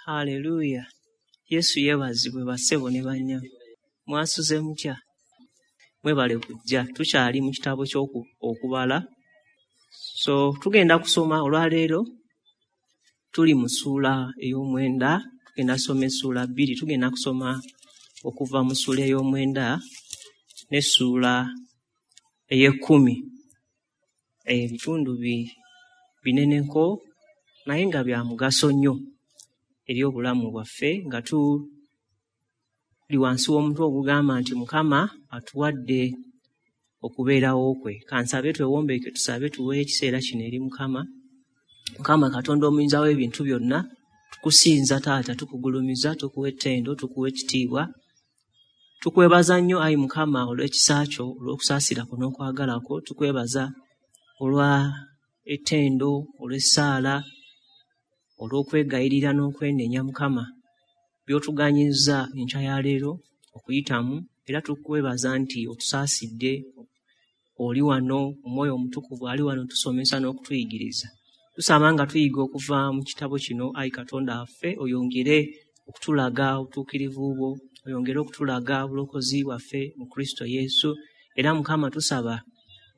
Haleluya! Yesu yeebazibwe bassebo ne bannyabo. Mwasuze mutya? Mwebale kujja. Tukyali mu kitabo ky'Okubala. So tugenda kusoma olwaleero, tuli mu ssuula ey'omwenda, tugenda kusoma essuula bbiri, tugenda kusoma okuva mu ssuula ey'omwenda n'essuula ey'ekkumi. Ebitundu bineneko naye nga bya mugaso nnyo eri obulamu bwaffe, nga tuli wansi w'omutwe ogugamba nti Mukama atuwadde okubeerawo kwe. Kansabe twewombeeke tusabe tuweeyo ekiseera kino eri Mukama. Mukama Katonda omuyinza w'ebintu byonna, tukusinza Taata, tukugulumiza, tukuwa ettendo, tukuwa ekitiibwa. Tukwebaza nnyo ayi Mukama olw'ekisa kyo, olw'okusaasira kwo n'okwagala kwo. Tukwebaza olwa ettendo, olw'essaala, olw'okwegayirira n'okwenenya Mukama by'otuganyizza enkya ya leero okuyitamu, era tukwebaza nti otusaasidde, oli wano, Omwoyo Omutukuvu ali wano tusomesa n'okutuyigiriza. Tusaba nga tuyiga okuva mu kitabo kino, ayi Katonda waffe, oyongere okutulaga obutuukirivu bwo, oyongere okutulaga obulokozi bwaffe mu Kristo Yesu. Era Mukama tusaba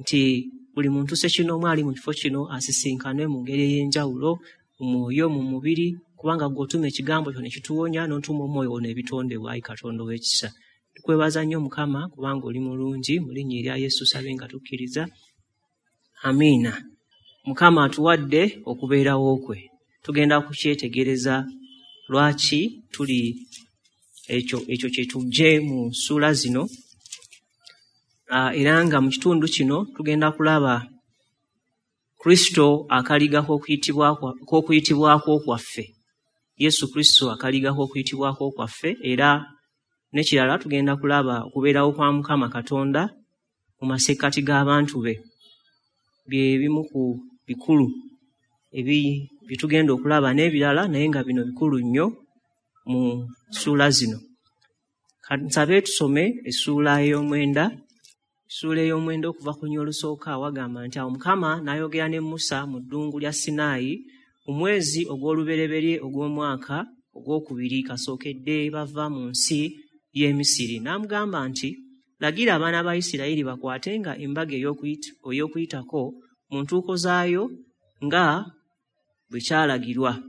nti buli muntu ssekinnoomu ali mu kifo kino asisinkane mu ngeri ey'enjawulo, mu mwoyo, mu mubiri, kubanga ggwe otuma ekigambo kyo ne kituwonya, n'otuma omwoyo wo n'ebitondebwa, ayi Katonda ow'ekisa. Tukwebaza nnyo Mukama kubanga oli mulungi, mu linnya erya Yesu tusabye nga tukkiriza. Amiina. Mukama atuwadde okubeerawo kwe. Tugenda kukyetegereza lwaki tuli ekyo kye tujje mu ssuula zino. Era nga mu kitundu kino tugenda kulaba Kristo akaliga k'okuyitibwako kwaffe. Yesu Kristo akaliga k'okuyitibwako kwaffe, era n'ekirala tugenda kulaba okubeerawo kwa Mukama Katonda mu masekkati g'abantu be. Bye bimu ku bikulu bye tugenda okulaba n'ebirala, naye nga bino bikulu nnyo mu ssuula zino. Nsabe tusome essuula ey'omwenda. Essuula ey'omwenda okuva ku luny olusooka wagamba nti awo Mukama n'ayogera ne Musa mu ddungu lya Sinaayi mu mwezi ogw'olubereberye ogw'omwaka ogwokubiri kasookedde bava mu nsi y'e Misiri. N'amugamba nti, lagira abaana ba Isirayiri bakwatenga embaga ey'Okuyitako mu ntuuko zaayo nga bwe kyalagirwa.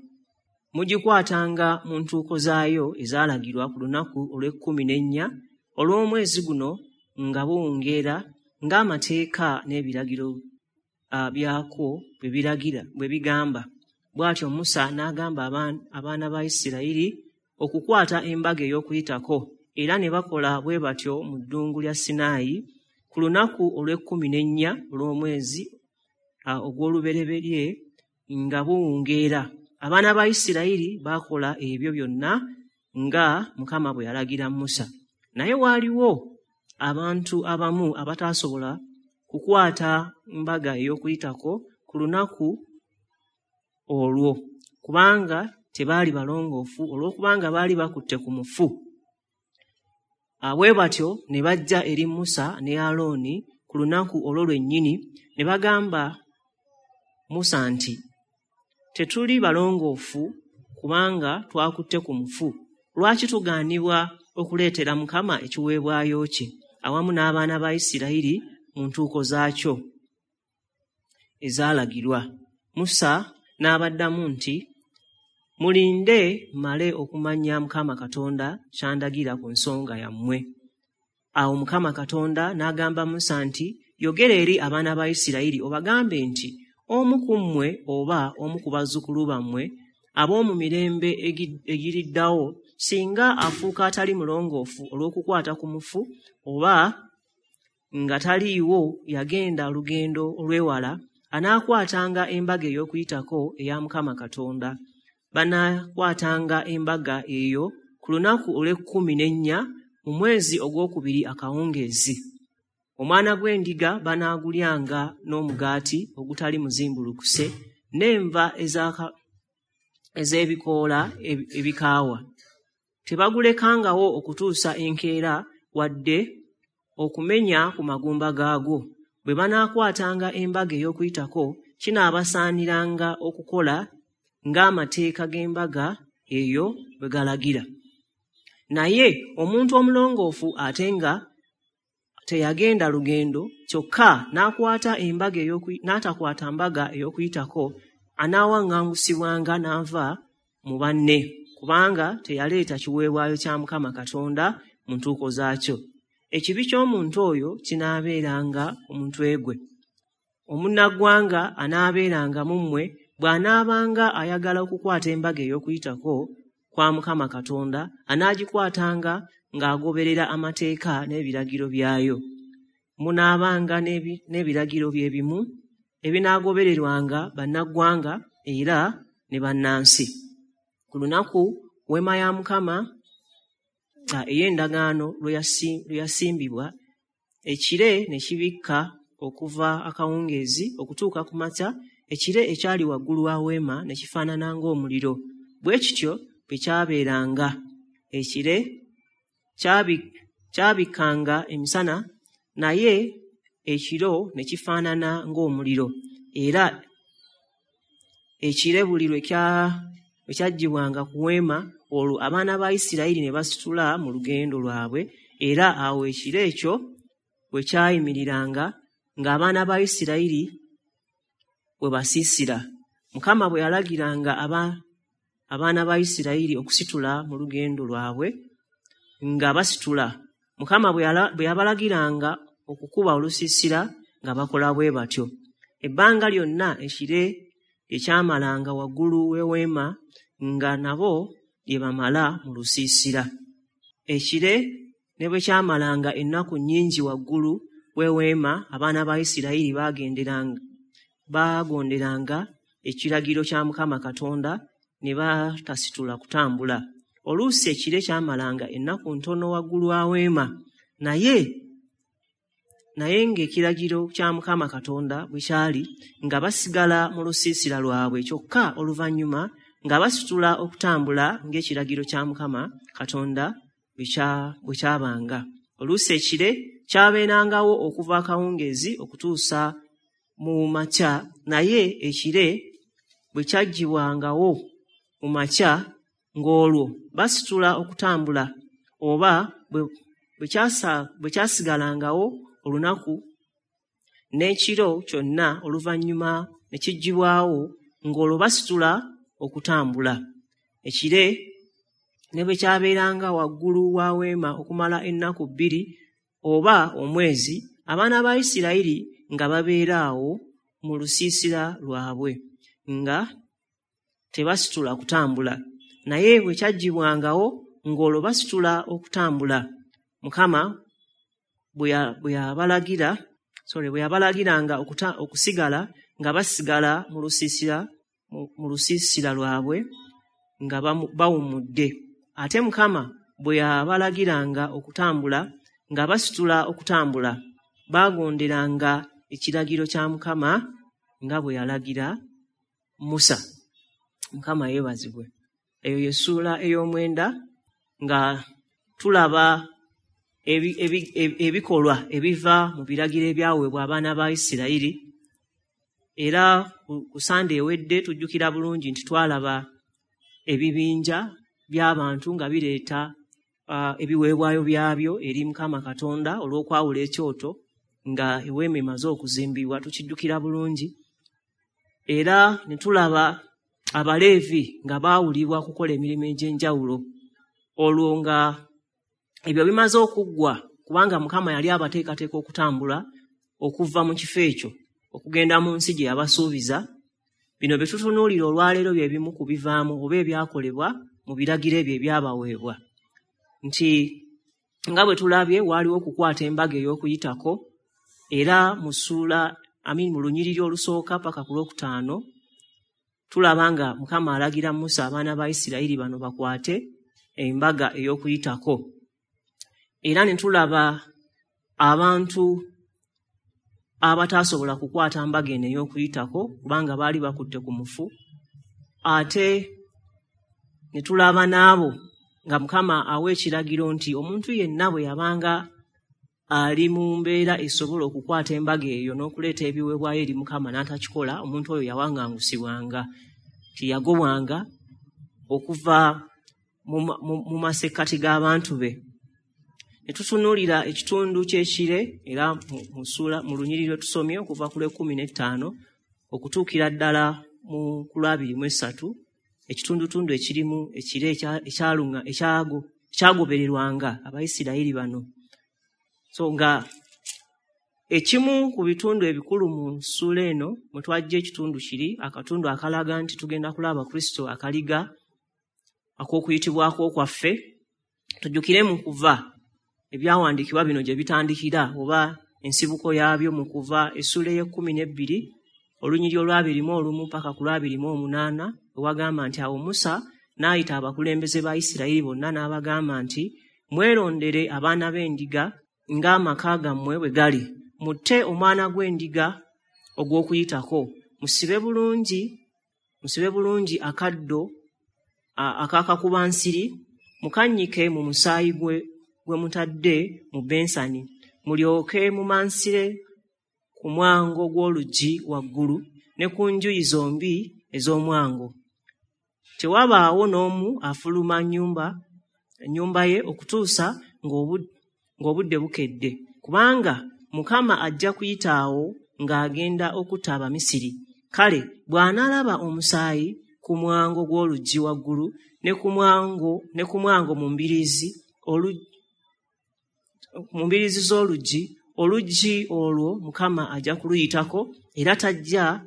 Mugikwatanga mu ntuuko zaayo ezaalagirwa ku lunaku olw'ekkumi n'ennya olw'omwezi guno nga buwungeera, ng'amateeka n'ebiragiro byakwo bwe bigamba. Bw'atyo Musa n'agamba abaana ba Isirayiri okukwata embaga ey'Okuyitako, era ne bakola bwe batyo mu ddungu lya Sinaayi ku lunaku olw'ekkumi n'ennya olw'omwezi ogw'olubereberye nga buwungeera. Abaana ba Isirayiri baakola ebyo byonna nga Mukama bwe yalagira Musa. Naye waaliwo abantu abamu abataasobola kukwata mbaga ey'Okuyitako ku lunaku olwo, kubanga tebaali balongoofu olw'okubanga baali bakutte ku mufu. Bwe batyo ne bajja eri Musa ne Alooni ku lunaku olwo lwennyini ne bagamba Musa nti, tetuli balongoofu kubanga twakutte ku mufu. Lwaki tugaanibwa okuleetera Mukama ekiweebwayo kye awamu n'abaana ba Isirayiri mu ntuuko zaakyo ezaalagirwa? Musa n'abaddamu nti, mulinde mmale okumanya Mukama Katonda ky'andagira ku nsonga yammwe. Awo Mukama Katonda n'agamba Musa nti, yogera eri abaana ba Isirayiri obagambe nti, omu ku mmwe oba omu ku bazzukulu bammwe ab'omu mirembe egiriddawo, singa afuuka atali mulongoofu olw'okukwata ku mufu oba nga taliiwo yagenda olugendo olw'ewala, anaakwatanga embaga ey'Okuyitako eya Mukama Katonda. Banaakwatanga embaga eyo ku lunaku olw'ekkumi n'ennya mu mwezi ogwokubiri akawungeezi. Omwana gw'endiga banaagulyanga n'omugaati ogutali muzimbulukuse n'enva ez'ebikoola ebikaawa. Tebagulekangawo okutuusa enkeera wadde okumenya ku magumba gaagwo. Bwe banaakwatanga embaga ey'Okuyitako, kinaabasaaniranga okukola ng'amateeka g'embaga eyo bwe galagira. Naye omuntu omulongoofu ate nga teyagenda lugendo, kyokka n'akwata embaga n'atakwata mbaga ey'Okuyitako, anaawaŋŋangusibwanga n'ava mu banne, kubanga teyaleeta kiweebwayo kya Mukama Katonda mu ntuuko zaakyo. Ekibi ky'omuntu oyo kinaabeeranga ku mutwe gwe. Omunnaggwanga anaabeeranga mu mmwe bw'anaabanga ayagala okukwata embaga ey'Okuyitako kwa Mukama Katonda, anaagikwatanga ng'agoberera amateeka n'ebiragiro byayo. Munaabanga n'ebiragiro bye bimu ebinaagobererwanga bannaggwanga era ne bannansi. Ku lunaku weema ya Mukama ey'endagaano lwe yasimbibwa, ekire ne kibikka okuva akawungeezi okutuuka ku makya, ekire ekyali waggulu wa weema ne kifaanana ng'omuliro. Bwe kityo bwe kyabeeranga. Ekire kyabikkanga emisana, naye ekiro ne kifaanana ng'omuliro. Era ekire buli lwe kyaggyibwanga ku weema, olwo abaana ba Isirayiri ne basitula mu lugendo lwabwe, era awo ekire ekyo bwe kyayimiriranga, ng'abaana ba Isirayiri bwe basiisira. Mukama bwe yalagiranga abaana ba Isirayiri okusitula mu lugendo lwabwe, nga basitula. Mukama bwe yabalagiranga okukuba olusiisira, nga bakola bwe batyo. Ebbanga lyonna ekire lye kyamalanga waggulu w'eweema, nga nabo lye bamala mu lusiisira. Ekire ne bwe kyamalanga ennaku nnyingi waggulu w'eweema, abaana ba Isirayiri baagonderanga ekiragiro kya Mukama Katonda ne batasitula kutambula. Oluusi ekire kyamalanga ennaku ntono waggulu wa weema, naye ng'ekiragiro kya Mukama Katonda bwe kyali, nga basigala mu lusiisira lwabwe, kyokka oluvannyuma nga basitula okutambula ng'ekiragiro kya Mukama Katonda bwe kyabanga. Oluusi ekire kyabeerangawo okuva akawungeezi okutuusa mu makya, naye ekire bwe kyaggyibwangawo mu makya, ng'olwo basitula okutambula, oba bwe kyasigalangawo olunaku n'ekiro kyonna, oluvannyuma ne kiggyibwawo, ng'olwo basitula okutambula. Ekire ne bwe kyabeeranga waggulu wa weema okumala ennaku 2 oba omwezi, abaana ba Isirayiri nga babeera awo mu lusiisira lwabwe, nga tebasitula kutambula. Naye bwe kyaggyibwangawo, ng'olwo basitula okutambula. Mukama bwe yabalagiranga okusigala, nga basigala mu lusiisira lwabwe nga bawummudde. Ate Mukama bwe yabalagiranga okutambula, nga basitula okutambula. Baagonderanga ekiragiro kya Mukama nga bwe yalagira Musa. Mukama yeebazibwe. Eyo ye ssuula ey'omwenda, nga tulaba ebikolwa ebiva mu biragiro ebyaweebwa abaana ba Isirayiri. Era ku Sande ewedde tujjukira bulungi nti twalaba ebibinja by'abantu nga bireeta ebiweebwayo byabyo eri Mukama Katonda olw'okwawula ekyoto nga eweema emaze okuzimbibwa, tukijjukira bulungi. Era ne tulaba Abaleevi nga baawulibwa okukola emirimu egy'enjawulo, olwo nga ebyo bimaze okuggwa, kubanga Mukama yali abateekateeka okutambula okuva mu kifo ekyo okugenda mu nsi gye yabasuubiza. Bino bye tutunuulira olwaleero bye bimu ku bivaamu oba ebyakolebwa mu biragiro ebyo ebyabaweebwa, nti nga bwe tulabye waaliwo okukwata embaga ey'Okuyitako, era mu ssuula mu lunyiriri olusooka paka ku lwokutaano tulaba nga Mukama alagira Musa abaana ba Isirayiri bano bakwate embaga ey'Okuyitako. Era ne tulaba abantu abataasobola kukwata mbaga eno ey'Okuyitako kubanga baali bakutte ku mufu, ate ne tulaba n'abo nga Mukama awa ekiragiro nti omuntu yenna bwe yabanga ali mu mbeera esobola okukwata embaga eyo n'okuleeta ebiweebwayo eri Mukama n'atakikola, omuntu oyo yawaŋŋangusibwanga, tiyagobwanga okuva mu masekkati g'abantu be. Ne tutunuulira ekitundu ky'ekire era mu lunyiriri lwe tusomye okuva ku lw'e15 okutuukira ddala mu ku lw'23, ekitundutundu ekirimu ekire ekyagobererwanga Abayisirayiri bano. So nga ekimu ku bitundu ebikulu mu ssuula eno mwe twajja ekitundu kiri, akatundu akalaga nti tugenda kulaba Kristo akaliga ak'okuyitibwako kwaffe. Tujjukire mu Kuva ebyawandiikibwa bino gye bitandikira oba ensibuko yaabyo mu Kuva essuula ey'e12 olunyiriri olw'21 paka ku lw'28, ewagamba nti awo Musa n'ayita abakulembeze ba Isirayiri bonna n'abagamba nti mwerondere abaana b'endiga ng'amaka gammwe bwe gali, mutte omwana gw'endiga ogw'okuyitako, musibe bulungi akaddo ak'akakubansiri, mukannyike mu musaayi gwe mutadde mu bensani, mulyoke mumansire ku mwango gw'oluggi waggulu ne ku njuyi zombi ez'omwango. Tewabaawo n'omu afuluma nnyumba ye okutuusa ng'obudde bukedde, kubanga Mukama ajja kuyitaawo ng'agenda okutta Abamisiri. Kale bw'anaalaba omusaayi ku mwango gw'oluggi waggulu ne ku mwango mu mbiriizi z'oluggi, oluggi olwo Mukama ajja kuluyitako, era tajja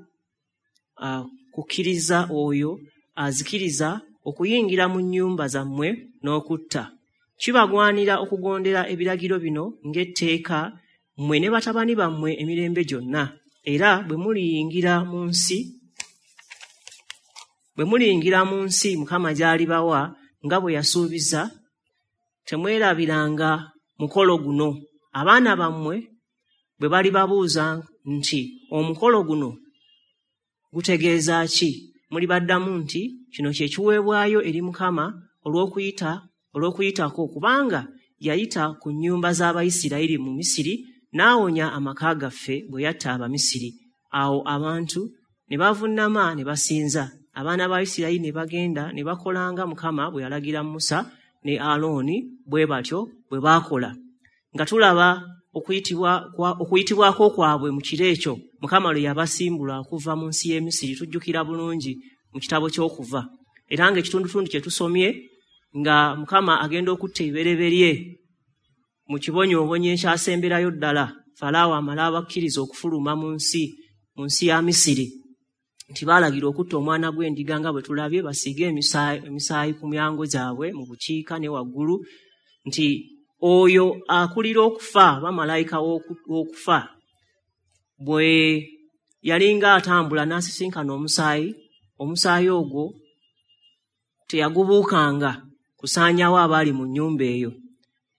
kukkiriza oyo azikiriza okuyingira mu nnyumba zammwe n'okutta. Kibagwanira okugondera ebiragiro bino ng'etteeka mmwe ne batabani bammwe emirembe gyonna. Era bwe muliyingira mu nsi Mukama gy'alibawa nga bwe yasuubiza, temwerabiranga mukolo guno. Abaana bammwe bwe balibabuuza nti omukolo guno gutegeeza ki, mulibaddamu nti kino kye kiweebwayo eri Mukama olw'okuyitako, kubanga yayita ku nnyumba z'Abayisirayiri mu Misiri n'awonya amaka gaffe bwe yatta Abamisiri. Awo abantu ne bavunnama ne basinza. Abaana ba Isirayiri ne bagenda ne bakolanga Mukama bwe yalagira Musa ne Alooni, bwe batyo bwe baakola. Nga tulaba okuyitibwako kwabwe mu kiro ekyo Mukama lwe yabasimbula okuva mu nsi y'e Misiri, tujjukira bulungi mu kitabo ky'Okuva. Era ng'ekitundutundu kye tusomye nga Mukama agenda okutta ebibereberye mu kibonyoobonyo ekyasemberayo ddala, Falaawo amala abakkiriza okufuluma mu nsi ya Misiri, nti baalagira okutta omwana gw'endiga nga bwe tulabye, basiige emisaayi ku myango gyabwe mu bukiika ne waggulu, nti oyo akulira okufa, bamalayika w'okufa, bwe yalinga atambula n'asisinkana omusaayi ogwo teyagubuukanga kusaanyaawo abaali mu nnyumba eyo.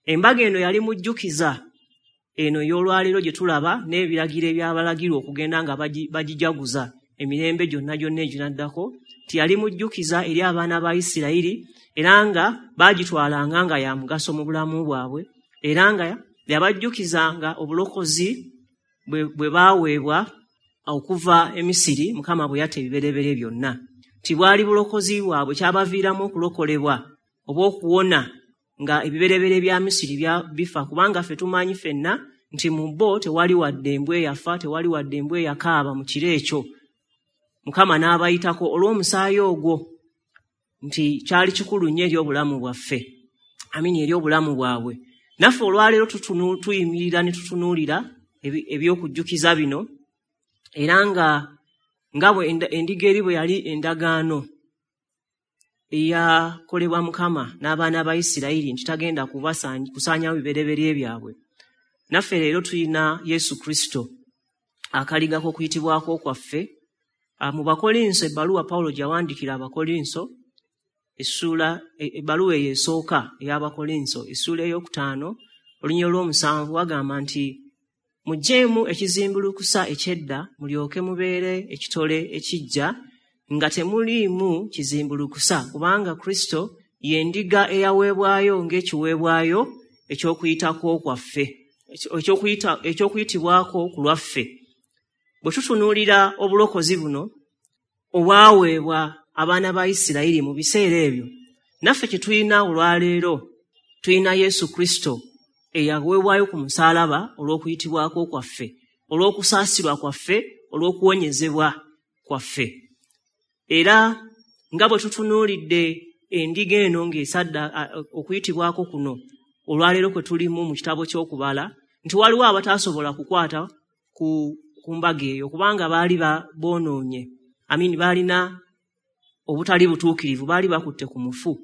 Embaga eno yali mujjukiza eno ey'olwaleero gye tulaba n'ebiragiro ebyabalagirwa okugenda nga bagijaguza emirembe gyonna gyonna eginaddako, nti yali mujjukiza eri abaana ba Isirayiri, era nga baagitwalanga nga ya mugaso mu bulamu bwabwe, era nga yabajjukizanga obulokozi bwe baaweebwa okuva e Misiri Mukama bwe yatta ebibereberye byonna. Nti bwali bulokozi bwabwe, kyabaviiramu okulokolebwa oba okuwona nga ebibereberye bya Misiri bifa, kubanga ffe tumanyi ffenna nti mu bo tewali wadde embwa eyafa, tewali wadde embwa eyakaaba mu kiro ekyo. Mukama n'abayitako olw'omusaayi ogwo, nti kyali kikulu nnyo eri obulamu bwaffe, amini, eri obulamu bwabwe. Naffe olwaleero tuyimirira ne tutunuulira ebyokujjukiza bino, era nga bwe endiga eri bwe yali endagaano eyakolebwa Mukama n'abaana ba Isirayiri nti tagenda kusaanyawo bibereberye byabwe, naffe leero tulina Yesu Kristo akaliga k'okuyitibwako kwaffe. Mu Bakolinso, ebbaluwa Pawulo gye yawandiikira Abakolinso, ebbaluwa eyo esooka ey'Abakolinso, essuula 5 olunyiriri olw'7, wagamba nti muggyeemu ekizimbulukusa eky'edda mulyoke mubeere ekitole ekiggya nga temuliimu kizimbulukusa, kubanga Kristo ye ndiga eyaweebwayo ng'ekiweebwayo eky'okuyitako kwaffe, eky'okuyitibwako ku lwaffe. Bwe tutunuulira obulokozi buno obwaweebwa abaana ba Isirayiri mu biseera ebyo, naffe kye tulina olwaleero, tulina Yesu Kristo eyaweebwayo ku musaalaba olw'okuyitibwako kwaffe, olw'okusaasirwa kwaffe, olw'okuwonyezebwa kwaffe. Era nga bwe tutunuulidde endiga eno ng'esadda okuyitibwako kuno olwaleero kwe tulimu mu kitabo ky'okubala, nti waliwo abataasobola kukwata ku mbaga eyo kubanga baali boonoonye, amini, baalina obutali butuukirivu, baali bakutte ku mufu.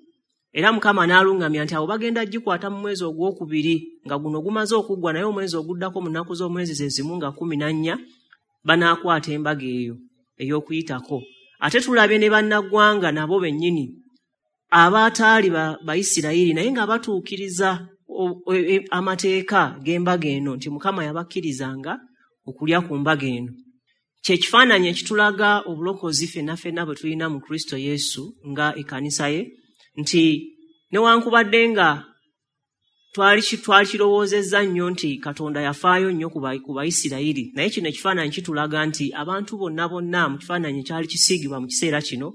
Era Mukama n'aluŋŋamya nti abo bagenda gikwata mu mwezi ogwokubiri nga guno gumaze okuggwa, naye omwezi oguddako mu nnaku z'omwezi ze zimu nga 14 banaakwata embaga eyo ey'okuyitako. Ate tulabye ne bannaggwanga nabo bennyini abaataali Bayisirayiri naye nga batuukiriza amateeka g'embaga eno, nti Mukama yabakkirizanga okulya ku mbaga eno. Kye kifaananyi ekitulaga obulokozi ffenna ffenna bwe tulina mu Kristo Yesu nga ekkanisa ye, nti newankubadde nga twalikirowoozezza nnyo nti Katonda yafaayo nnyo ku Bayisirayiri, naye kino ekifaananyi kitulaga nti abantu bonna bonna mu kifaananyi ekyali kisiigibwa mu kiseera kino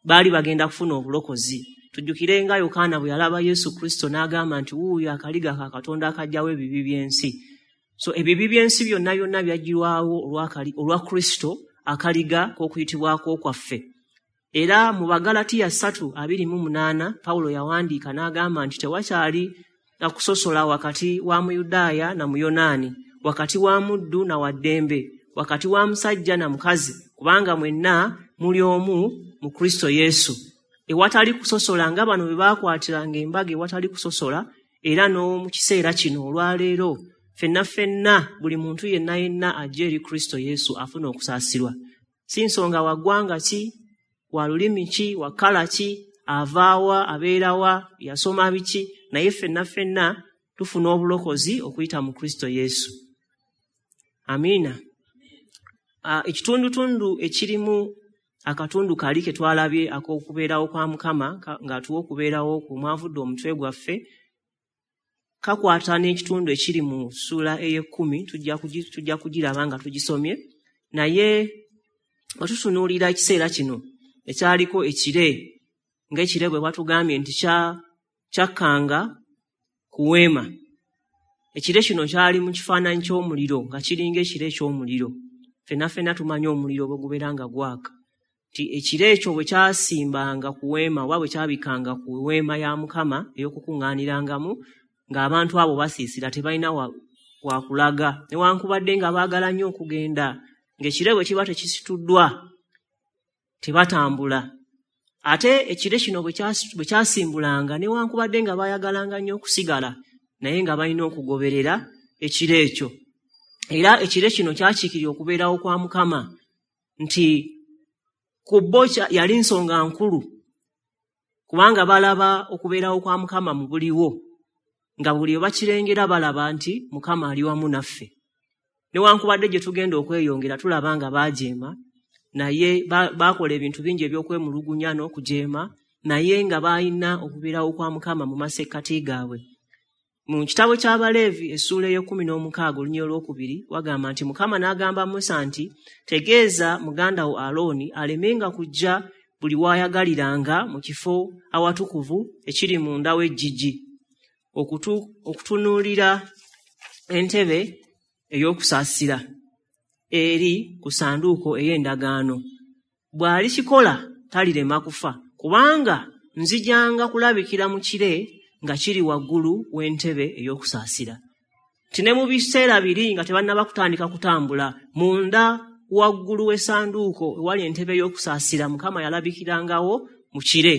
baali bagenda kufuna obulokozi. Tujjukire nga Yokaana bwe yalaba Yesu Kristo n'agamba nti wuuyo akaliga ka Katonda akaggyawo ebibi by'ensi. So ebibi by'ensi byonna byonna byaggyibwawo olwa Kristo akaliga k'okuyitibwako kwaffe. Era mu Bagalatiya 3:28 Pawulo yawandiika n'agamba nti tewakyali na kusosola wakati wa Muyudaaya na Muyonaani, wakati wa muddu na wa ddembe, wakati wa musajja na mukazi, kubanga mwenna muli omu mu Kristo Yesu. Ewatali kusosola nga bano bwe baakwatiranga embaga ewatali kusosola, era n'omu kiseera kino olwaleero ffenna ffenna buli muntu yenna yenna ajja eri Kristo Yesu afuna okusaasirwa. Si nsonga wa ggwanga ki, wa lulimi ki, wa kkala ki, avaawa, abeerawa, yasoma biki, naye ffenna ffenna tufuna obulokozi okuyita mu Kristo Yesu. Amiina. Ekitundutundu ekirimu akatundu kali ke twalabye ak'okubeerawo kwa Mukama ng'atuwa okubeerawo kwe mwavudde omutwe gwaffe, kakwata n'ekitundu ekiri mu ssuula ey'ekkumi, tujja kugiraba nga tugisomye. Naye bwe tutunuulira ekiseera kino ekyaliko ekire, ng'ekire bwe batugambye nti kyakkanga ku weema. Ekire kino kyali mu kifaananyi ky'omuliro, nga kiringa ekire eky'omuliro. Ffenna ffenna tumanyi omuliro bwe gubeera nga gwaka. Nti ekire ekyo bwe kyasimbanga ku weema oba bwe kyabikanga ku weema ya Mukama ey'okukuŋŋaanirangamu, ng'abantu abo basiisira tebalina wakulaga, newankubadde nga baagala nnyo okugenda, ng'ekire bwe kiba tekisituddwa tebatambula. Ate ekire kino bwe kyasimbulanga, newankubadde nga baayagalanga nnyo okusigala, naye nga balina okugoberera ekire ekyo. Era ekire kino kyakiikirira okubeerawo kwa Mukama, nti ku bo yali nsonga nkulu, kubanga balaba okubeerawo kwa Mukama mu buliwo, nga buli we bakirengera balaba nti Mukama ali wamu naffe. Newankubadde gye tugenda okweyongera tulaba nga baajeema, naye baakola ebintu bingi eby'okwemulugunya n'okujeema, naye nga baalina okubeerawo kwa Mukama mu masekkati gaabwe. Mu kitabo ky'Abaleevi essuula ey'e16 olunyiriri olwokubiri wagamba nti Mukama n'agamba Musa nti tegeeza muganda wo Alooni alemenga kujja buli w'ayagaliranga mu kifo awatukuvu ekiri munda w'eggigi okutunuulira entebe ey'okusaasira eri ku ssanduuko ey'endagaano. Bw'alikikola talirema kufa, kubanga nzijanga kulabikira mu kire nga kiri waggulu w'entebe ey'okusaasira. Nti ne mu biseera biri nga tebannaba kutandika kutambula, munda waggulu w'essanduuko ewali entebe ey'okusaasira Mukama yalabikirangawo mu kire.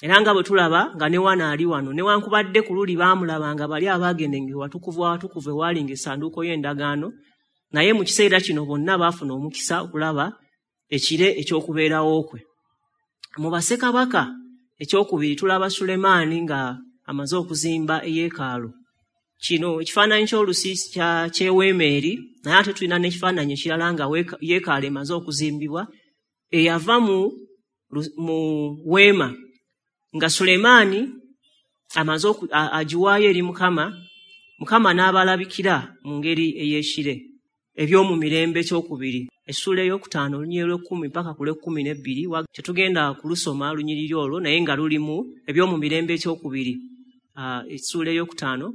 Era nga bwe tulaba nga ne wano ali wano, newankubadde ku luli baamulabanga bali abaagendanga ewatukuvu awatukuvu ewalinga essanduuko y'endagaano, naye mu kiseera kino bonna baafuna omukisa okulaba ekire eky'okubeerawo kwe. Mu Bassekabaka ekyokubiri tulaba Sulemaani nga amaze okuzimba eyeekaalu. Kino ekifaananyi ky'olusiisi ky'eweema eri, naye ate tulina n'ekifaananyi ekirala nga yeekaalu emaze okuzimbibwa, eyava mu weema nga Sulemaani amaze agiwaayo eri Mukama, Mukama n'abalabikira mu ngeri ey'ekire. Ebyomumirembe ekyokubiri essuula ey'okutaano olunyiriri lw'ekkumi paka ku lw'ekkumi n'ebbiri. Tetugenda kulusoma lunyiriri olwo, naye nga lulimu Ebyomumirembe ekyokubiri essuula ey'okutaano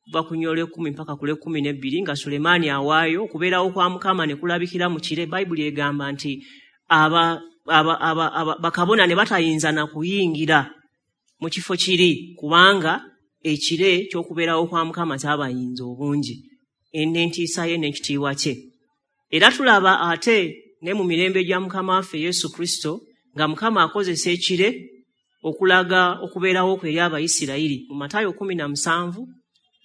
kuva ku lunyiriri lw'ekkumi paka ku lw'ekkumi n'ebbiri, nga Sulemaani awaayo okubeerawo kwa Mukama ne kulabikira mu kire. Bayibuli egamba nti bakabona ne batayinza na kuyingira mu kifo kiri, kubanga ekire ky'okubeerawo kwa Mukama kyabayinza obungi, n'entiisa ye n'ekitiibwa kye. Era tulaba ate ne mu mirembe gya Mukama waffe Yesu Kristo nga Mukama akozesa ekire okulaga okubeerawo kwe eri Abayisirayiri. Mu Matayo 17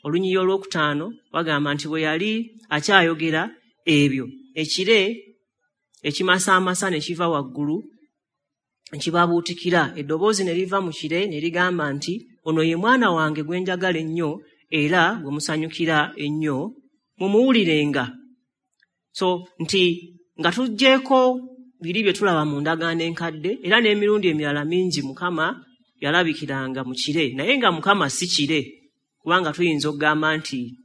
olunyiriri olwokutaano bagamba nti bwe yali akyayogera ebyo, ekire ekimasaamasa ne kiva waggulu kibabuutikira, eddoboozi ne liva mu kire ne ligamba nti, ono ye mwana wange gwe njagala ennyo era gwe musanyukira ennyo, mumuwulirenga. So nti nga tuggyeeko biri bye tulaba mu ndagaano enkadde, era n'emirundi emirala mingi Mukama yalabikiranga mu kire, naye nga Mukama si kire, kubanga tuyinza okugamba nti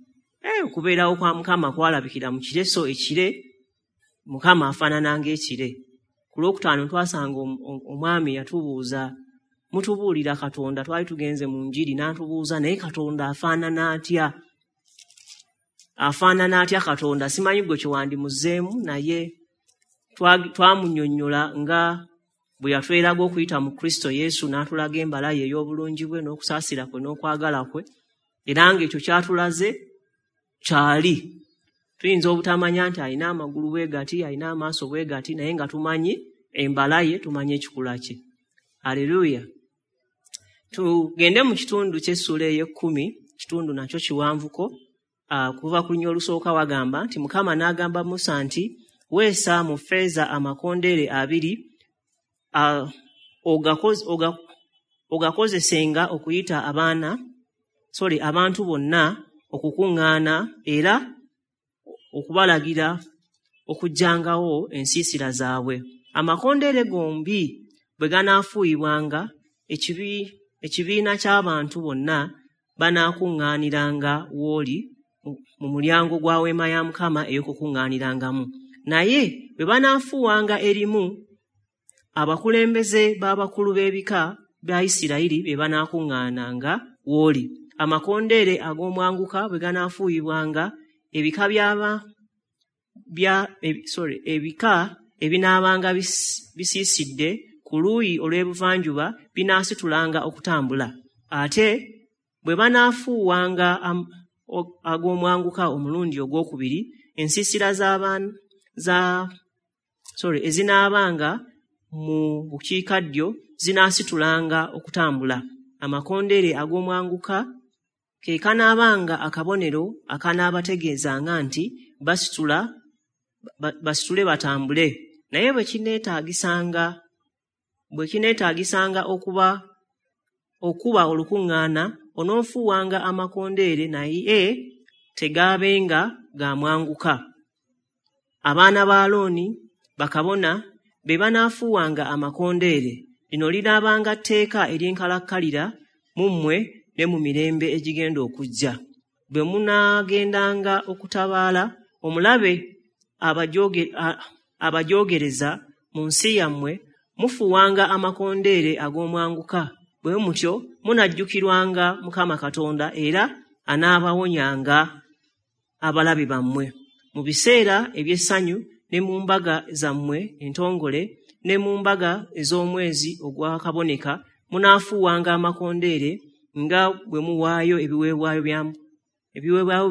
okubeerawo kwa Mukama kwalabikira mu kire, so ekire Mukama afaanana ng'ekire. Ku lwokutaano twasanga omwami yatubuuza, mutubuulira Katonda, twali tugenze mu njiri, n'atubuuza naye Katonda afaanana atya? Afaanana atya Katonda? Simanyi gwe kyewandimuzzeemu, naye twamunnyonnyola nga bwe yatweraga okuyita mu Kristo Yesu, n'atulaga embala ye ey'obulungi bwe n'okusaasira kwe n'okwagala kwe, era ng'ekyo kyatulaze kyali. Tuyinza obutamanya nti alina amagulu bwe gati, alina amaaso bwe gati, naye nga tumanyi embala ye, tumanyi ekikula kye. Aleluya. Tugende mu kitundu ky'essuula ey'ekkumi, kitundu nakyo kiwanvuko. Kuva ku lunyiriri olusooka wagamba nti Mukama n'agamba Musa nti, weesa mu ffeeza amakondeere abiri, ogakozesenga okuyita abantu bonna okukuŋŋaana era okubalagira okugyangawo ensiisira zaabwe. Amakondeere gombi bwe ganaafuuyibwanga, ekibiina ky'abantu bonna banaakuŋŋaaniranga w'oli mu mulyango gwa weema ya Mukama ey'okukuŋŋaanirangamu. Naye bwe banaafuuwanga erimu, abakulembeze b'abakulu b'ebika bya Isirayiri be banaakuŋŋaananga w'oli. Amakondeere ag'omwanguka bwe ganaafuuyibwanga, ebika ebinaabanga bisiisidde ku luuyi olw'ebuvanjuba binaasitulanga okutambula. Ate bwe banaafuuwanga ag'omwanguka omulundi ogwokubiri, ensiisira ezinaabanga mu bukiikaddyo zinaasitulanga okutambula. Amakondeere ag'omwanguka ke kanaabanga akabonero akanaabategeezanga nti basitule batambule. Naye bwe kineetaagisanga okuba olukuŋŋaana, onoofuuwanga amakondeere, naye tegaabenga ga mwanguka. Abaana ba Alooni bakabona be banaafuuwanga amakondeere. Lino linaabanga tteeka ery'enkalakkalira mu mmwe ne mu mirembe egigenda okujja. Bwe munaagendanga okutabaala omulabe abajoogereza mu nsi yammwe, mufuuwanga amakondeere ag'omwanguka. Bwe mutyo munajjukirwanga Mukama Katonda, era anaabawonyanga abalabe bammwe. Mu biseera eby'essanyu ne mu mbaga zammwe entongole ne mu mbaga ez'omwezi ogwakaboneka munaafuuwanga amakondeere nga bwe muwaayo ebiweebwayo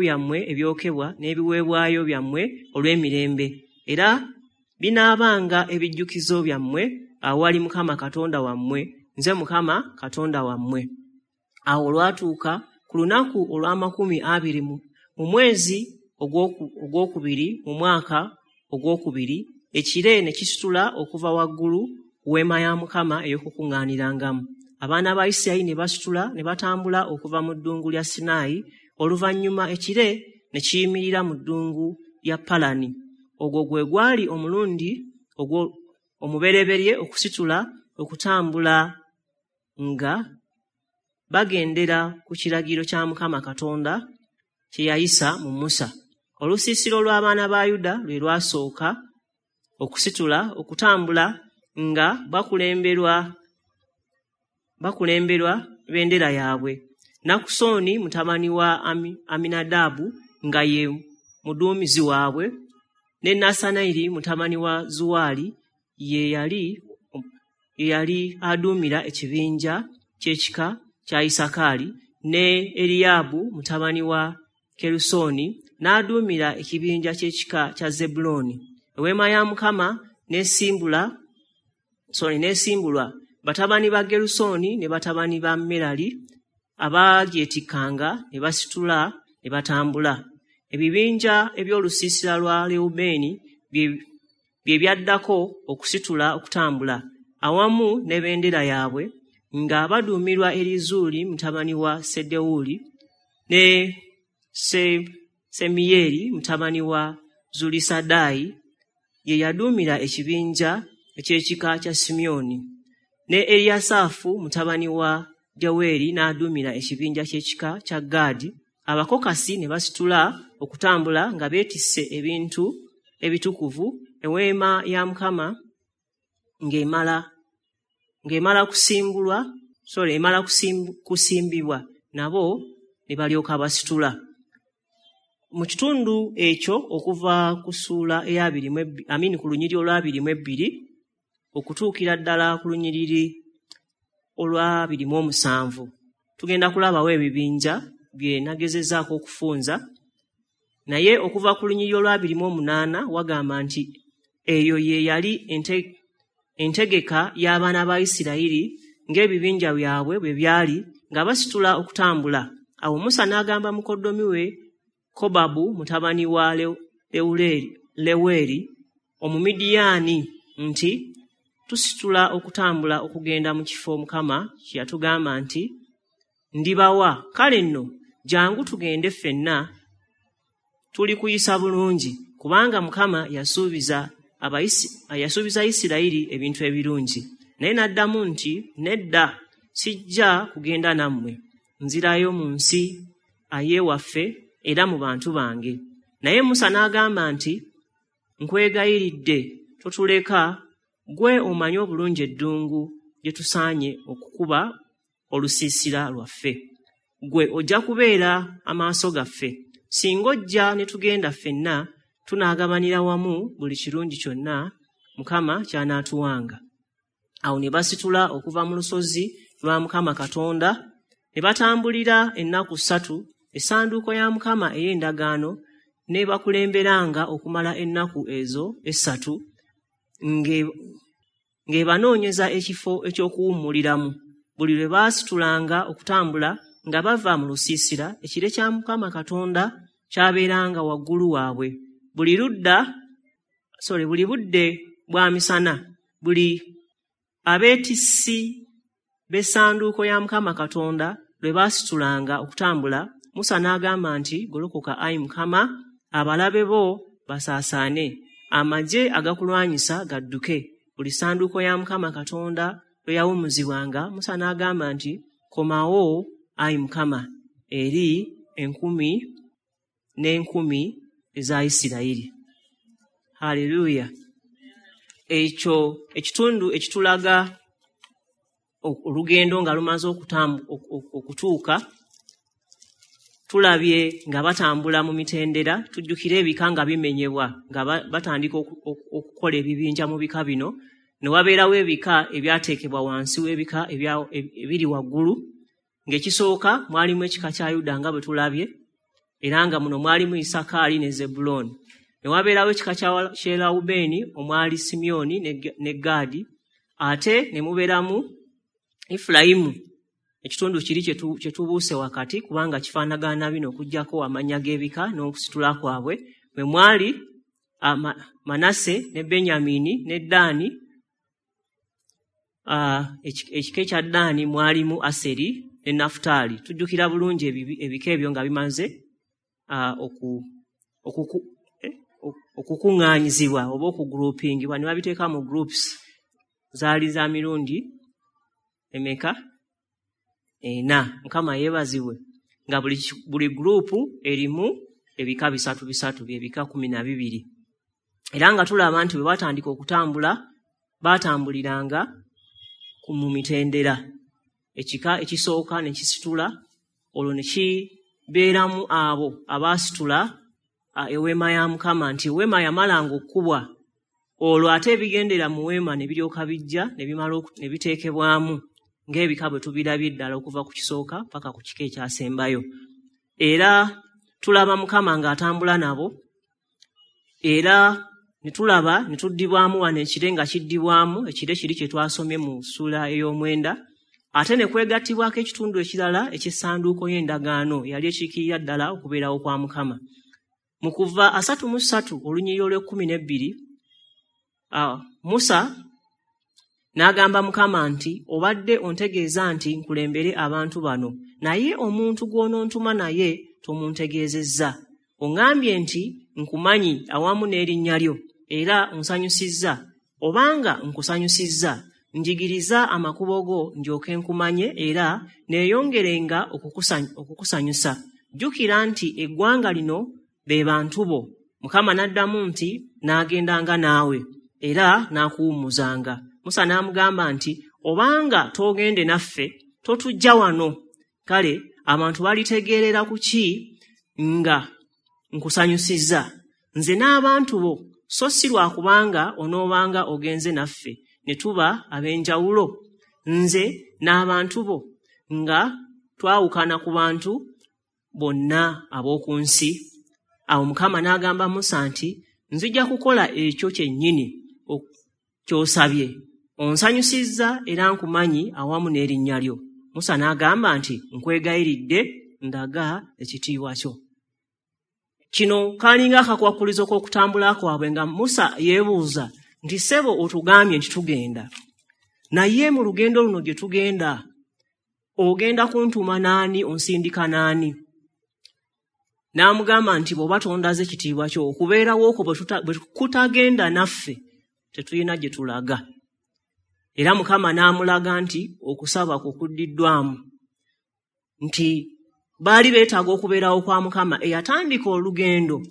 byammwe ebyokebwa n'ebiweebwayo byammwe olw'emirembe. Era binaabanga ebijjukizo byammwe awali Mukama Katonda wammwe. Nze Mukama Katonda wammwe. Awo olwatuuka ku lunaku olw'amakumi abiri mu mwezi ogwokubiri mu mwaka ogwokubiri, ekire ne kisitula okuva waggulu ku weema ya Mukama ey'okukuŋŋaanirangamu. Abaana ba Isirayiri ne basitula ne batambula okuva mu ddungu lya Sinaayi. Oluvannyuma ekire ne kiyimirira mu ddungu lya Palani. Ogwo gwe gwali omulundi omubereberye okusitula okutambula nga bagendera ku kiragiro kya Mukama Katonda kye yayisa mu Musa. Olusiisira olw'abaana ba Yuda lwe lwasooka okusitula okutambula nga bakulemberwa bendera yaabwe. Nakusoni mutabani wa Aminadaabu nga ye muduumizi waabwe, ne Nassanayiri mutabani wa Zuwaali ye yali aduumira ekibinja ky'ekika kya Isakaali, ne Eriyaabu mutabani wa Kerusoni n'aduumira ekibinja ky'ekika kya Zebbulooni. Eweema ya Mukama n'esimbulwa batabani ba Gerusoni ne batabani ba Merali abaagyetikkanga ne basitula ne batambula. Ebibinja eby'olusiisira lwa Lewubeeni bye byaddako okusitula okutambula awamu ne bendera yaabwe nga baduumirwa Erizuuli mutabani wa Sedewuli ne Semiyeri mutabani wa Zulisadaayi ye yaduumira ekibinja eky'ekika kya Simyoni, ne Eriyasaafu mutabani wa Deweri n'aduumira ekibinja ky'ekika kya Gaadi. Abakokasi ne basitula okutambula nga beetisse ebintu ebitukuvu, eweema ya Mukama ng'emala kusimbibwa, nabo ne balyoka basitula. Mu kitundu ekyo okuva ku ssuula ku lunyiriri olwa 22 okutuukira ddala ku lunyiriri olwa 27, tugenda kulabawo ebibinja bye nagezezzaako okufunza. Naye okuva ku lunyiriri olwa 28 wagamba nti eyo ye yali entegeka y'abaana ba Isirayiri ng'ebibinja byabwe bwe byali nga basitula okutambula. Awo Musa n'agamba mukoddomi we Kobabu mutabani wa Leweri Omumidiyaani nti, "Tusitula okutambula okugenda mu kifo Mukama kye yatugamba nti, 'Ndibawa.' Kale nno jjangu tugende ffenna, tuli kuyisa bulungi, kubanga Mukama yasuubiza Isirayiri ebintu ebirungi." Naye n'addamu nti, "Nedda, sijja kugenda nammwe. Nzirayo mu nsi ay'ewaffe era mu bantu bange." Naye Musa n'agamba nti, "Nkwegayiridde, totuleka. Ggwe omanyi obulungi eddungu gye tusaanye okukuba olusiisira lwaffe. Ggwe ojja kubeera amaaso gaffe. Singa ojja ne tugenda ffenna, tunaagabanira wamu buli kirungi kyonna Mukama ky'anaatuwanga." Awo ne basitula okuva mu lusozi lwa Mukama Katonda ne batambulira ennaku 3. Essanduuko ya Mukama ey'endagaano ne bakulemberanga okumala ennaku ezo 3 ng'ebanoonyeza ekifo eky'okuwummuliramu. Buli lwe baasitulanga okutambula nga bava mu lusiisira, ekire kya Mukama Katonda kyabeeranga waggulu waabwe buli ludda, sorry, buli budde bwa misana. Buli abeetissi b'essanduuko ya Mukama Katonda lwe baasitulanga okutambula, Musa n'agamba nti, "Golokoka, ayi Mukama, abalabe bo basaasaane, amagye agakulwanyisa gadduke." Buli ssanduuko ya Mukama Katonda lwe yawummuzibwanga, Musa n'agamba nti, "Komawo, ayi Mukama, eri enkumi n'enkumi eza Isirayiri." Haleluya! Ekyo ekitundu ekitulaga olugendo nga lumaze okutuuka. Tulabye nga batambula mu mitendera. Tujjukire ebika nga bimenyebwa, nga batandika okukola ebibinja mu bika bino, ne wabeerawo ebika ebyateekebwa wansi w'ebika ebiri waggulu. Ng'ekisooka mwalimu ekika kya Yuda nga bwe tulabye, era nga muno mwalimu Isakaali ne Zebbulooni. Ne wabeerawo ekika kya Lewubeeni omwali Simyoni ne Gaadi, ate ne mubeeramu Efulayimu, ekitundu kiri kye tubuuse wakati kubanga kifaanagana bino okuggyako amannya g'ebika n'okusitula kwabwe, mwe mwali Manase ne Benyamini ne Ddaani. Ekika ekya Ddaani mwalimu Aseri ne Nafutaali. Tujjukira bulungi ebika ebyo nga bimaze okukuŋŋaanyizibwa oba okugroupingibwa ne babiteeka mu groups. Zaali za mirundi emeka? Ena. Mukama yeebazibwe, nga buli group erimu ebika bisatu bisatu, byebika 12. Era nga tulaba nti bwe batandika okutambula, batambuliranga mu mitendera. Ekika ekisooka ne kisitula, olwo ne kibeeramu abo abaasitula eweema ya Mukama, nti eweema yamalanga okkubwa, olwo ate ebigendera mu weema ne biryoka bijja ne bimala ne biteekebwamu ng'ebika bwe tubirabye ddala okuva ku kisooka paka ku kika ekyasembayo. Era tulaba Mukama ng'atambula nabo, era ne tulaba ne tuddibwamu wano ekire nga kiddibwamu, ekire kiri kye twasomye mu ssuula ey'omwenda, ate ne kwegattibwako ekitundu ekirala eky'essanduuko y'endagaano eyali ekiikirira ddala okubeerawo kwa Mukama. Mu kuva 33 olunyiriri olw'e12, Musa n'agamba Mukama nti, obadde ontegeeza nti nkulembere abantu bano, naye omuntu gw'onontuma naye tomuntegeezezza. Oŋŋambye nti nkumanyi awamu n'erinnya lyo, era onsanyusizza. Obanga nkusanyusizza, njigiriza amakubo go ndyoke nkumanye, era neeyongerenga okukusanyusa. Jjukira nti eggwanga lino be bantu bo. Mukama n'addamu nti, n'agendanga naawe, era n'akuwummuzanga. Musa n'amugamba nti, obanga toogende naffe, totujja wano. Kale abantu balitegeerera ku ki nga nkusanyusizza, nze n'abantu bo, so si lwa kubanga onoobanga ogenze naffe, ne tuba ab'enjawulo, nze n'abantu bo, nga twawukana ku bantu bonna ab'oku nsi. Awo Mukama n'agamba Musa nti, nzija kukola ekyo kyennyini ky'osabye. Onsanyusizza era nkumanyi awamu n'erinnya lyo. Musa n'agamba nti, nkwegayiridde ndaga ekitiibwa kyo. Kino kalinga akakwakulizo k'okutambula kwabwe, nga Musa yeebuuza nti, ssebo otugambye nti tugenda, naye mu lugendo luno gye tugenda ogenda kuntuma naani, onsindika naani? N'amugamba nti bw'oba tondaze kitiibwa kyo, okubeerawo okwo bwe kutagenda naffe tetulina gye tulaga. Era Mukama n'amulaga nti okusaba kwo kuddiddwamu, nti baali beetaaga okubeerawo kwa Mukama eyatandika olugendo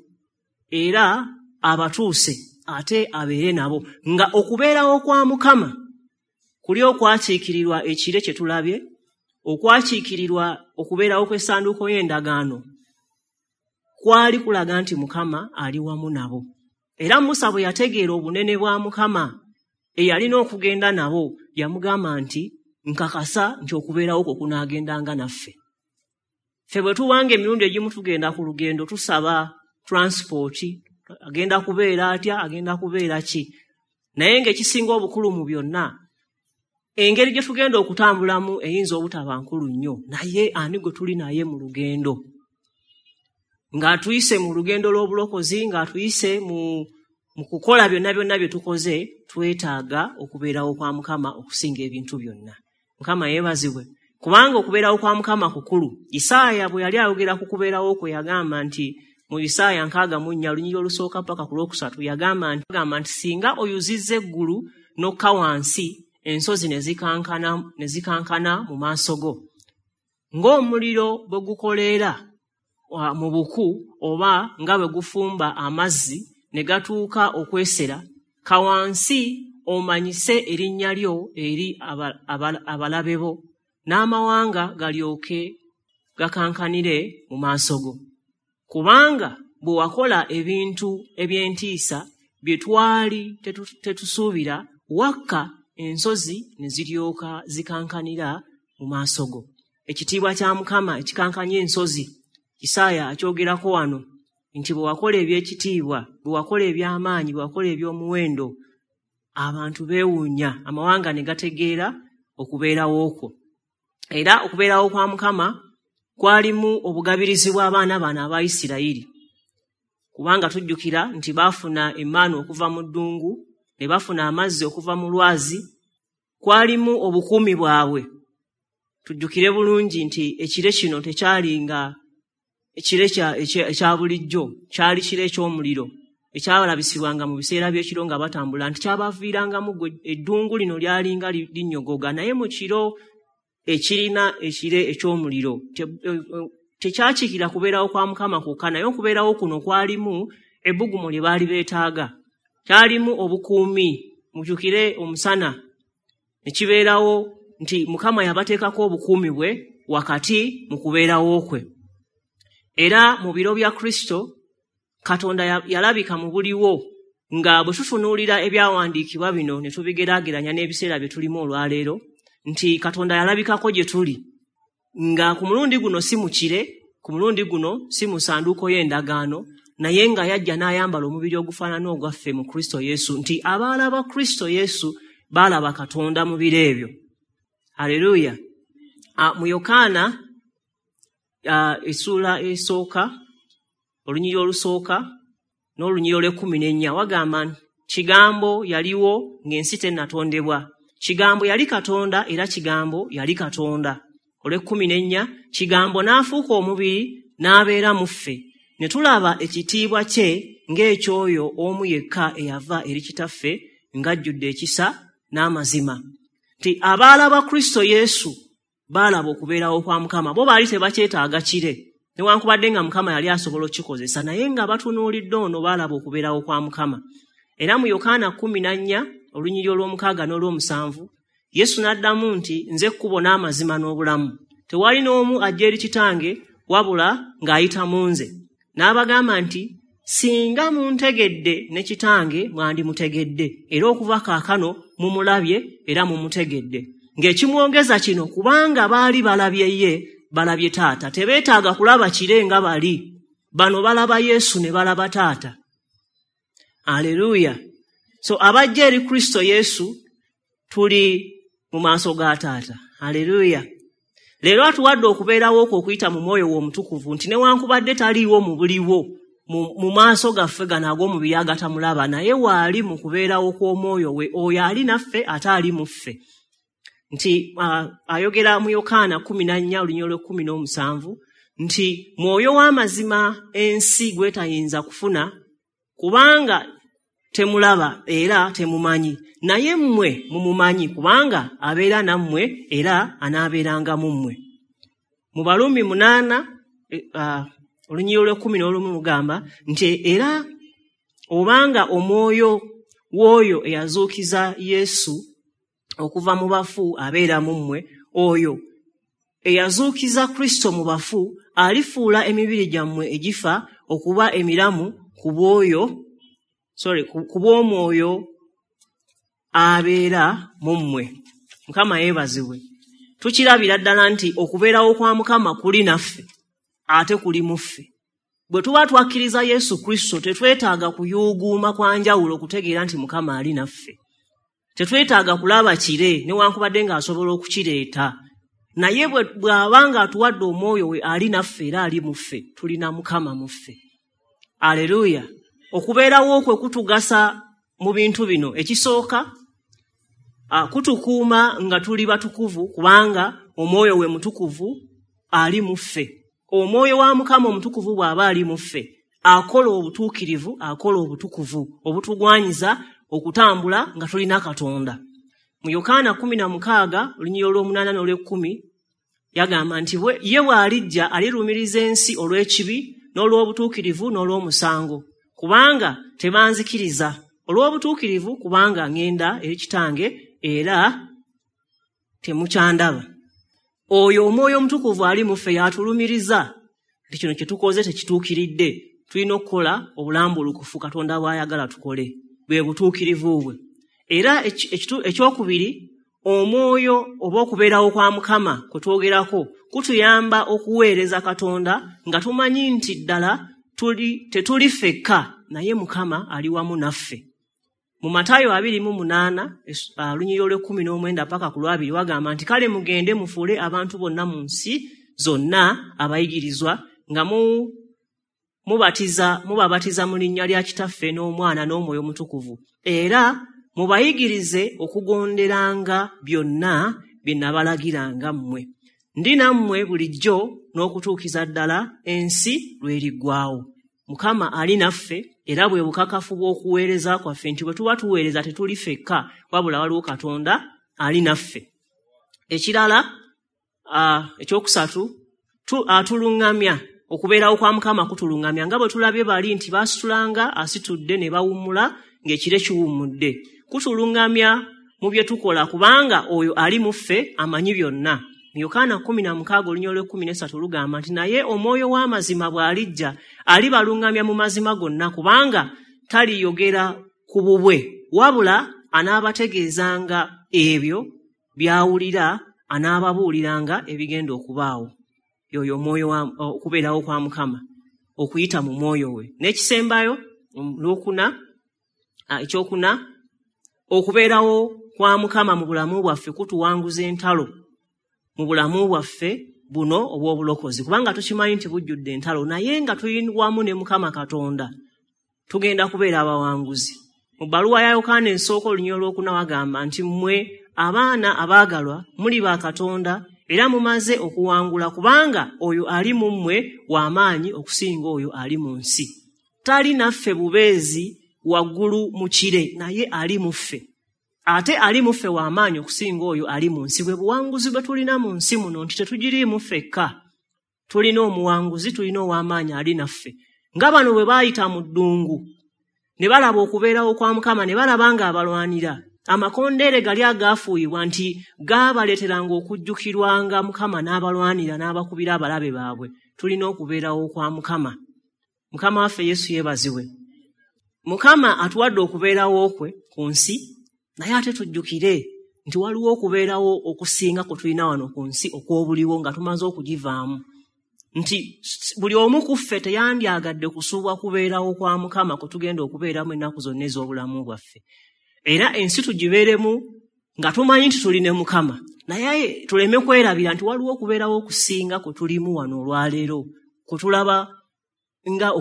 era abatuuse ate abeere nabo, nga okubeerawo kwa Mukama kuli okwakiikirirwa ekire kye tulabye, okwakiikirirwa okubeerawo kw'essanduuko y'endagaano, kwali kulaga nti Mukama ali wamu nabo. Era Musa bwe yategeera obunene bwa Mukama eyalina okugenda nabo, yamugamba nti, nkakasa nti okubeerawo kwo kunaagendanga naffe. Ffe bwe tubanga emirundi egimu tugenda ku lugendo tusaba transport, agenda kubeera atya, agenda kubeera ki, naye ng'ekisinga obukulu mu byonna, engeri gye tugenda okutambulamu eyinza obutaba nkulu nnyo, naye ani gwe tuli naye mu lugendo? Ng'atuyise mu lugendo lw'obulokozi, ng'atuyise mu kukola byonna byonna bye tukoze, twetaaga okubeerawo kwa Mukama okusinga ebintu byonna. Mukama yeebazibwe, kubanga okubeerawo kwa Mukama kukulu. Isaaya bwe yali ayogera ku kubeerawo kwe, yagamba nti mu Isaaya 64 olunyiriri olusooka paka ku lwokusatu, yagamba nti singa oyuzizza eggulu n'okka wansi, ensozi ne zikankana mu maaso go, ng'omuliro bwe gukoleera mu buku oba nga bwe gufumba amazzi ne gatuuka okwesera, ka wansi omanyise erinnya lyo eri abalabe bo, n'amawanga galyoke gakankanire mu maaso go. Kubanga bwe wakola ebintu eby'entiisa bye twali tetusuubira, wakka ensozi ne ziryoka zikankanira mu maaso go. Ekitiibwa kya Mukama ekikankanya ensozi, Isaaya akyogerako wano nti bwe wakola eby'ekitiibwa, bwe wakola eby'amaanyi, bwe wakola eby'omuwendo, abantu beewuunya, amawanga ne gategeera okubeerawo okwo. Era okubeerawo kwa Mukama kwalimu obugabirizi bw'abaana bano aba Isirayiri, kubanga tujjukira nti baafuna emmaanu okuva mu ddungu, ne bafuna amazzi okuva mu lwazi, kwalimu obukuumi bwabwe. Tujjukire bulungi nti ekire kino tekyali nga ekire ekya bulijjo, kyali kire eky'omuliro ekyalabisibwanga mu biseera by'ekiro nga batambula, nti kyabaviirangamu eddungu lino lyalinga linnyogoga, naye mu kiro ekirina ekire eky'omuliro Tekyakiikira kubeerawo kwa Mukama kwokka, naye okubeerawo kuno kwalimu ebbugumu lye baali beetaaga. Kyalimu obukuumi, mujjukire omusana ne kibeerawo nti Mukama yabateekako obukuumi bwe wakati mu kubeerawo kwe. Era mu biro bya Kristo Katonda yalabika mu buliwo, nga bwe tutunuulira ebyawandiikibwa bino ne tubigeraageranya n'ebiseera bye tulimu olwaleero, nti Katonda yalabikako gye tuli, nga ku mulundi guno si mu kire, ku mulundi guno si mu ssanduuko y'endagaano, naye nga yajja n'ayambala omubiri ogufaanana ogwaffe mu Kristo Yesu, nti abaalaba Kristo Yesu baalaba Katonda mu biro ebyo. Haleluya. Mu Yokaana essuula esooka, olunyiriri olusooka n'olunyiriri olw'ekkumi n'ennya wagamba nti Kigambo yaliwo ng'ensi tennatondebwa. Kigambo yali Katonda era Kigambo yali Katonda. Olw'ekkumi n'ennya, Kigambo n'afuuka omubiri n'abeera mu ffe. Ne tulaba ekitiibwa kye ng'ekyoyo omu yekka eyava eri Kitaffe ng'ajjudde ekisa n'amazima. Nti abaalaba Kristo Yesu baalaba okubeerawo kwa Mukama. Bo baali tebakyetaaga kire, newankubadde nga Mukama yali asobola okukikozesa, naye nga batunuulidde ono baalaba okubeerawo kwa Mukama. Era mu Yokaana 14 olunyiriri olw'omukaaga n'olw'omusanvu, Yesu n'addamu nti, nze kkubo n'amazima n'obulamu. Tewali n'omu ajja eri Kitange wabula ng'ayita mu nze. N'abagamba nti, singa muntegedde ne Kitange mwandimutegedde, era okuva kaakano mumulabye era mumutegedde. Ng'ekimwongeza kino kubanga baali balabye ye, balabye Taata. Tebeetaaga kulaba kire nga bali. Bano balaba Yesu ne balaba Taata. Aleluya. So abajja eri Kristo Yesu tuli mu maaso ga Taata. Aleluya. Leero atuwadde okubeerawo okwo okuyita mu mwoyo we omutukuvu, nti newankubadde taliiwo mu buliwo mu maaso gaffe gano ag'omubiri agatamulaba, naye waali mu kubeerawo kw'omwoyo we, oyo ali naffe ate ali mu ffe. Nti ayogera mu Yokaana 14 olunyiriri olw'ekkumi n'omusanvu nti mwoyo w'amazima ensi gw'etayinza kufuna, kubanga temulaba era temumanyi, naye mmwe mumumanyi, kubanga abeera nammwe era anaabeeranga mu mmwe. Mu Baruumi 8 olunyiriri olw'ekkumi n'olumu lugamba nti era obanga omwoyo w'oyo eyazuukiza Yesu okuva mu bafu abeera mu mmwe, oyo eyazuukiza Kristo mu bafu alifuula emibiri gyammwe egifa okuba emiramu ku bw'omwoyo abeera mu mmwe. Mukama yeebazibwe. Tukirabira ddala nti okubeerawo kwa Mukama kuli naffe ate kuli mu ffe. Bwe tuba twakkiriza Yesu Kristo tetwetaaga kuyuuguuma kwa njawulo okutegeera nti Mukama ali naffe. Tetwetaaga kulaba kire newankubadde ng'asobola okukireeta, naye bw'aba ng'atuwadde omwoyo we ali naffe era ali mu ffe, tulina Mukama mu ffe. Aleluya. Okubeerawo kwe kutugasa mu bintu bino. Ekisooka, kutukuuma nga tuli batukuvu, kubanga omwoyo we mutukuvu ali mu ffe. Omwoyo wa Mukama omutukuvu bw'aba ali mu ffe, akola obutuukirivu, akola obutukuvu obutugwanyiza okutambula nga tulina Katonda. Mu Yokaana 16 olunyiriri olw'omunaana n'olw'ekkumi yagamba nti ye bw'alijja alirumiriza ensi olw'ekibi n'olw'obutuukirivu n'olw'omusango, kubanga tebanzikiriza. Olw'obutuukirivu kubanga ŋŋenda eri Kitange era temukyandaba. Oyo omwoyo omutukuvu ali mu ffe y'atulumiriza nti kino kye tukoze tekituukiridde, tulina okukola obulambulukufu Katonda bw'ayagala tukole, bwe butuukirivu bwe. Era ekyokubiri, omwoyo oba okubeerawo kwa Mukama kwe twogerako kutuyamba okuweereza Katonda nga tumanyi nti ddala tetuli ffekka, naye Mukama ali wamu naffe. Mu Matayo 28 olunyiriri olw'ekkumi n'omwenda paka ku lwabiri wagamba nti kale mugende mufuule abantu bonna mu nsi zonna abayigirizwa, nga mubabatiza mu linnya lya Kitaffe n'Omwana n'Omwoyo Omutukuvu, era mubayigirize okugonderanga byonna bye nabalagiranga mmwe. Ndi nammwe bulijjo n'okutuukiza ddala ensi lw'eriggwaawo. Mukama ali naffe era bwe bukakafu bw'okuweereza kwaffe nti bwe tuba tuweereza tetuli ffekka, wabula waliwo Katonda ali naffe. Ekirala, ekyokusatu, Atuluŋŋamya, okubeerawo kwa Mukama kutuluŋŋamya, nga bwe tulabye bali nti baasitulanga asitudde ne bawummula ng'ekire kiwummudde. Kutuluŋŋamya mu bye tukola, kubanga oyo ali mu ffe amanyi byonna. Mu Yokaana 16:13 lugamba nti naye omwoyo w'amazima bw'alijja alibaluŋŋamya mu mazima gonna, kubanga taliyogera ku bubwe, wabula anaabategeezanga ebyo by'awulira, anaababuuliranga ebigenda okubaawo. Yoyo omwoyo okubeerawo kwa Mukama okuyita mu mwoyo we. N'ekisembayo ekyokuna, okubeerawo kwa Mukama mu bulamu bwaffe kutuwanguza entalo mu bulamu bwaffe buno obw'obulokozi, kubanga tukimanyi nti bujjudde entalo, naye nga tuli wamu ne Mukama Katonda tugenda kubeera abawanguzi. Mu bbaluwa ya Yokaana esooka 4 wagamba nti mmwe abaana abaagalwa muli ba Katonda era mumaze okuwangula, kubanga oyo ali mu mmwe w'amaanyi okusinga oyo ali mu nsi. Tali naffe bubeezi waggulu mu kire, naye ali mu ffe. Ate ali mu ffe w'amaanyi okusinga oyo ali mu nsi. Bwe buwanguzi bwe tulina mu nsi muno nti tetugiriimu ffekka, tulina omuwanguzi, tulina ow'amaanyi ali naffe. Nga bano bwe baayita mu ddungu ne balaba okubeerawo kwa Mukama, ne balaba ng'abalwanira, amakondeere gali agaafuuyibwa nti gaabaleeteranga okujjukirwanga Mukama n'abalwanira n'abakubira abalabe baabwe. Tulina okubeerawo kwa Mukama. Mukama waffe Yesu yeebazibwe. Mukama atuwadde okubeerawo kwe ku nsi, naye ate tujjukire nti waliwo okubeerawo okusinga kwe tulina wano ku nsi okw'obuliwo nga tumaze okugivaamu, nti buli omu ku ffe teyandyagadde kusuubwa kubeerawo kwa Mukama kwe tugenda okubeeramu ennaku zonna ez'obulamu bwaffe. Era ensi tugibeeremu nga tumanyi nti tuli ne Mukama, naye tuleme kwerabira nti waliwo okubeerawo okusinga kwe tulimu wano olwaleero, kwe tulaba nga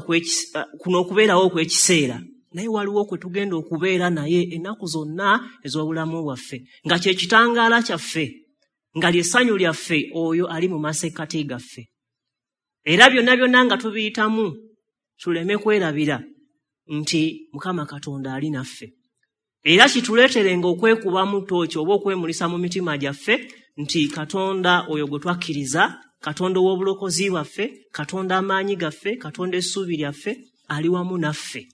kuno okubeerawo okw'ekiseera, naye waliwo kwe tugenda okubeera naye ennaku zonna ez'obulamu bwaffe, nga kye kitangaala kyaffe, nga ly'essanyu lyaffe, oyo ali mu masekkati gaffe. Era byonna byonna nga tubiyitamu tuleme kwerabira nti Mukama Katonda ali naffe. Era kituleeterenga okwekubamu ttooki oba okwemulisa mu mitima gyaffe nti Katonda oyo gwe twakkiriza, Katonda ow'obulokozi bwaffe, Katonda amaanyi gaffe, Katonda essuubi lyaffe, ali wamu naffe.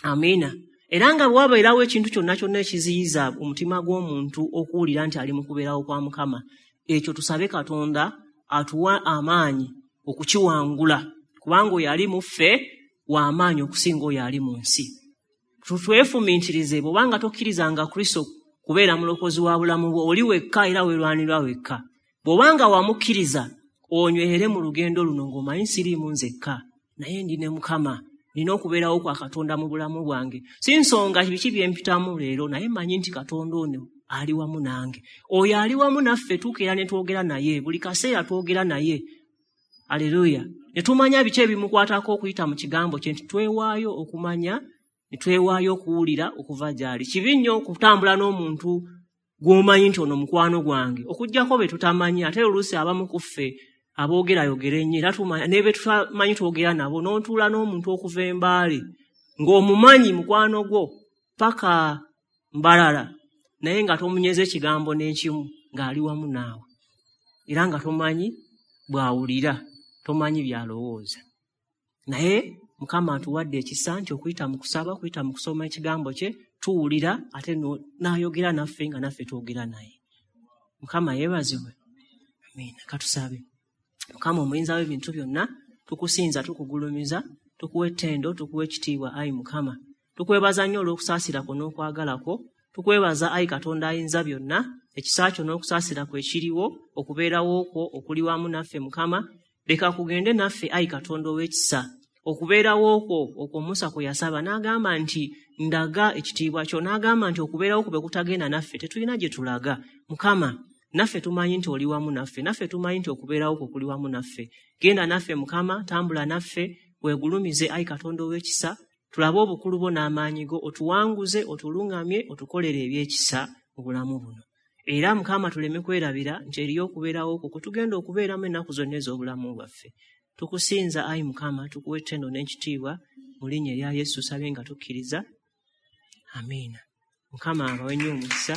Amiina. Era nga bwe wabeerawo ekintu kyonna kyonna ekiziyiza omutima gw'omuntu okuwulira nti ali mu kubeerawo kwa Mukama, ekyo tusabe Katonda atuwa amaanyi okukiwangula, kubanga oyo ali mu ffe w'amaanyi okusinga oyo ali mu nsi. Twefumiitirize, bw'obanga tokkirizanga Kristo kubeera mulokozi wa bulamu bwo, oli wekka era weerwanirwa wekka. Bw'obanga wamukkiriza, onywerere mu lugendo luno ng'omanyi siriimu nzekka, naye ndi ne Mukama, nina okubeerawo kwa Katonda mu bulamu bwange. Si nsonga biki bye mpitamu leero, naye mmanyi nti Katonda ono ali wamu nange. Oyo ali wamu naffe tukeera ne twogera naye, buli kaseera twogera naye. Aleluya. Ne tumanya biki ebimukwatako okuyita mu kigambo kye, nti twewaayo okumanya, ne twewaayo okuwulira okuva gy'ali. Kibi nnyo okutambula n'omuntu gw'omanyi nti ono mukwano gwange, okuggyako be tutamanyi. Ate oluusi abamu ku ffe aboogerayogera ennyo, era tumanya ne be tutamanyi twogera nabo, n'otuula n'omuntu okuva Embaale ng'omumanyi mukwano gwo paka Mbalala, naye nga tomunyeza ekigambo n'ekimu, ng'ali wamu naawe, era nga tomanyi bw'awulira, tomanyi by'alowooza. Naye Mukama atuwadde ekisa nti okuyita mu kusaba, okuyita mu kusoma ekigambo kye, tuwulira ate n'ayogera naffe nga naffe twogera naye. Mukama yeebazibwe. Amiina. Katusabe. Mukama omuyinza w'ebintu byonna, tukusinza, tukugulumiza, tukuwa ettendo, tukuwa ekitiibwa, ayi Mukama. Tukwebaza nnyo olw'okusaasira kwo n'okwagala kwo. Tukwebaza ayi Katonda ayinza byonna, ekisa kyo n'okusaasira kwe kiriwo, okubeerawo kwo okuli wamu naffe Mukama. Leka kugende naffe ayi Katonda ow'ekisa. Okubeerawo kwo okwo Musa kwe yasaba n'agamba nti ndaga ekitiibwa kyo, n'agamba nti okubeerawo kwo bwe kutagenda naffe tetulina gye tulaga. Mukama, naffe tumanyi nti oli wamu naffe, naffe tumanyi nti okubeerawo kwo kuli wamu naffe. Genda naffe Mukama, tambula naffe, weegulumize ayi Katonda ow'ekisa, tulabe obukulu bwo n'amaanyi go, otuwanguze, otuluŋŋamye, otukolere eby'ekisa mu bulamu buno. Era Mukama tuleme kwerabira nti eriyo okubeerawo kwo kwe tugenda okubeeramu ennaku zonna ez'obulamu bwaffe. Tukusinza ayi Mukama, tukuwa ettendo n'ekitiibwa mu linnya erya Yesu, tusabye nga tukkiriza. Amiina. Mukama abawe nnyo omukisa.